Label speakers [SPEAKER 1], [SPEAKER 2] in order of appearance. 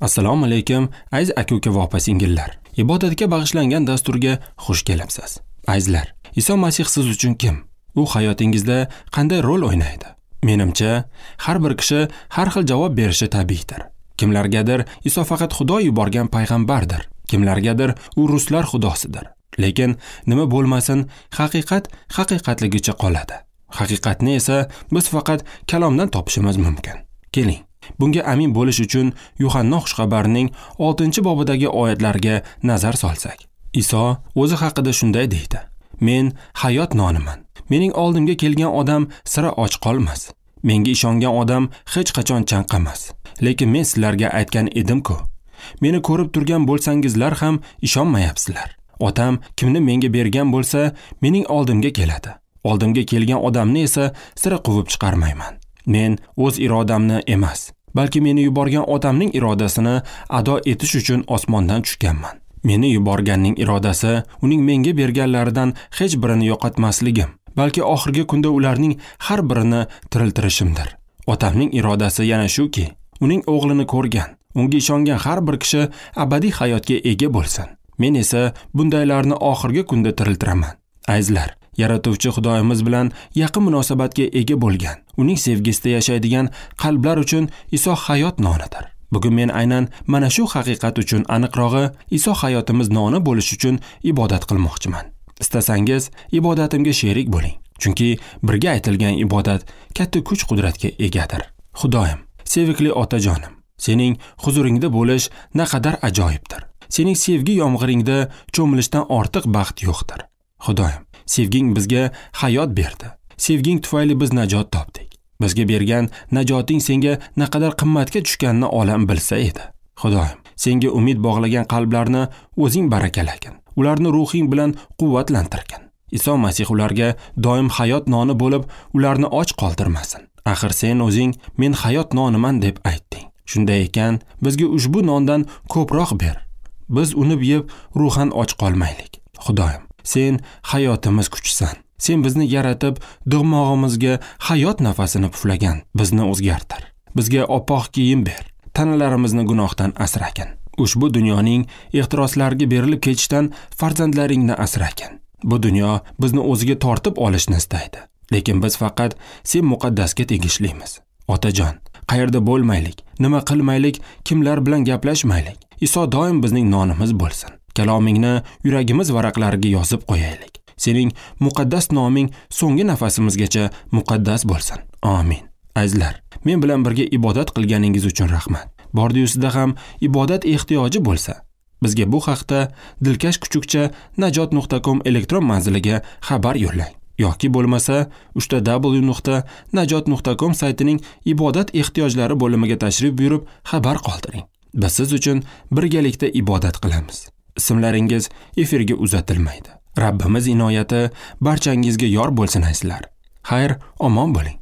[SPEAKER 1] Assalomu alaykum, aziz aka-uka va opa-singillar. Ibodatga bag'ishlangan dasturga xush kelibsiz. Azizlar, Iso Masih siz uchun kim? U hayotingizda qanday rol o'ynaydi? Menimcha, har bir kishi har xil javob berishi tabiiydir. Kimlargadir Iso faqat Xudo yuborgan payg'ambardir. Kimlargadir u ruslar xudosidir. Lekin nima bo'lmasin, haqiqat haqiqatligicha qoladi. Haqiqatni esa biz faqat kalomdan topishimiz mumkin. Keling, bunga amin bo'lish uchun Yuhanna xushxabarining 6-bobidagi oyatlarga nazar solsak. Iso o'zi haqida shunday deydi: Men hayot noniman. Mening oldimga kelgan odam sira och qolmas. Menga ishongan odam hech qachon chanqamas. Lekin men sizlarga aytgan edim-ku. Meni ko'rib turgan bo'lsangizlar ham ishonmayapsizlar. Otam kimni menga bergan bo'lsa, mening oldimga keladi. Oldimga kelgan odamni esa sira quvib chiqarmayman. Men o'z irodamni emas, balki meni yuborgan otamning irodasini ado etish uchun osmondan tushganman. Meni yuborganning irodasi uning menga berganlaridan hech birini yo'qotmasligim, balki oxirgi kunda ularning har birini tiriltirishimdir. Otamning irodasi yana shuki, uning o'g'lini ko'rgan, unga ishongan har bir kishi abadiy hayotga ega bo'lsin. Men esa bundaylarni oxirgi kunda tiriltiraman. Azizlar, Yaratuvchi Xudoyimiz bilan yaqin munosabatga ega bo'lgan, uning sevgisida yashaydigan qalblar uchun Iso hayot nonidir. Bugun men aynan mana shu haqiqat uchun, aniqrog'i Iso hayotimiz noni bo'lish uchun ibodat qilmoqchiman. Istasangiz ibodatimga sherik bo'ling, chunki birga aytilgan ibodat katta kuch-qudratga egadir. Xudoyim, sevikli otajonim, sening huzuringda bo'lish naqadar ajoyibdir. Sening sevgi yomg'iringda cho'milishdan ortiq baxt yo'qdir. Xudoyim, sevging bizga hayot berdi. Sevging tufayli biz najot topdik. Bizga bergan najoting senga naqadar qimmatga tushganini olam bilsa edi. Xudoyim, senga umid bog'lagan qalblarni o'zing barakalagin. Ularni ruhing bilan quvvatlantirgin. Iso Masih ularga doim hayot noni bo'lib, ularni och qoldirmasin. Axir sen o'zing men hayot noniman deb aytding. Shunday ekan, bizga ushbu nondan ko'proq ber. Biz uni yeb ruhan och qolmaylik. Xudoyim, sen hayotimiz kuchisan. Sen bizni yaratib, dimog'imizga hayot nafasini puflagan, bizni o'zgartir. Bizga oppoq kiyim ber. Tanalarimizni gunohdan asragin. Ushbu dunyoning ehtiroslariga berilib ketishdan farzandlaringni asragin. Bu dunyo bizni o'ziga tortib olishni istaydi. Lekin biz faqat sen muqaddasga tegishlimiz. Otajon, qayerda bo'lmaylik, nima qilmaylik, kimlar bilan gaplashmaylik. Iso doim bizning nonimiz bo'lsin. Kalomingni yuragimiz varaqlariga yozib qo'yaylik. Sening muqaddas noming so'nggi nafasimizgacha muqaddas bo'lsin. Amin. Azizlar, men bilan birga ibodat qilganingiz uchun rahmat. Bordi-yusida ham ibodat ehtiyoji bo'lsa, bizga bu haqda dilkashkuchukcha@najot.com elektron manziliga xabar yo'llang yoki bo'lmasa www.najot.com saytining ibodat ehtiyojlari bo'limiga tashrif buyurib xabar qoldiring. Biz siz uchun birgalikda ibodat qilamiz. Ismlaringiz efirga uzatilmaydi. Rabbimiz inoyati barchangizga yor bo'lsin azizlar. Xayr, omon bo'ling.